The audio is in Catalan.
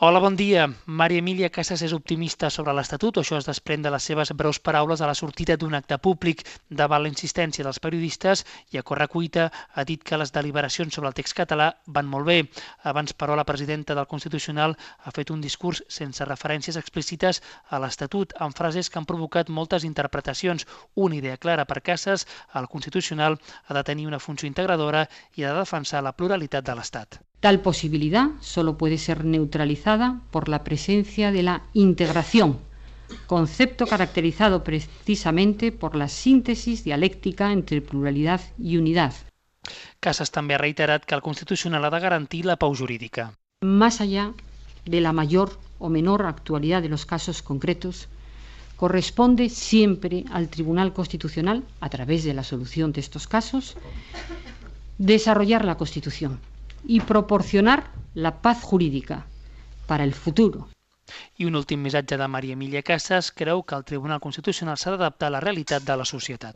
Hola, bon dia. Maria Emília Casas és optimista sobre l'Estatut, això es desprèn de les seves breus paraules a la sortida d'un acte públic davant la insistència dels periodistes i a correcuita ha dit que les deliberacions sobre el text català van molt bé. Abans, però, la presidenta del Constitucional ha fet un discurs sense referències explícites a l'Estatut, amb frases que han provocat moltes interpretacions. Una idea clara per Casas, el Constitucional ha de tenir una funció integradora i ha de defensar la pluralitat de l'Estat. Tal posibilidad solo puede ser neutralizada por la presencia de la integración, concepto caracterizado precisamente por la síntesis dialéctica entre pluralidad y unidad. Casas també ha reiterat que el Constitucional ha de garantir la pau jurídica. Más allá de la mayor o menor actualidad de los casos concretos, corresponde siempre al Tribunal Constitucional, a través de la solución de estos casos, desarrollar la Constitución y proporcionar la paz jurídica para el futuro. I un últim missatge de Maria Emília Casas creu que el Tribunal Constitucional s'ha d'adaptar a la realitat de la societat.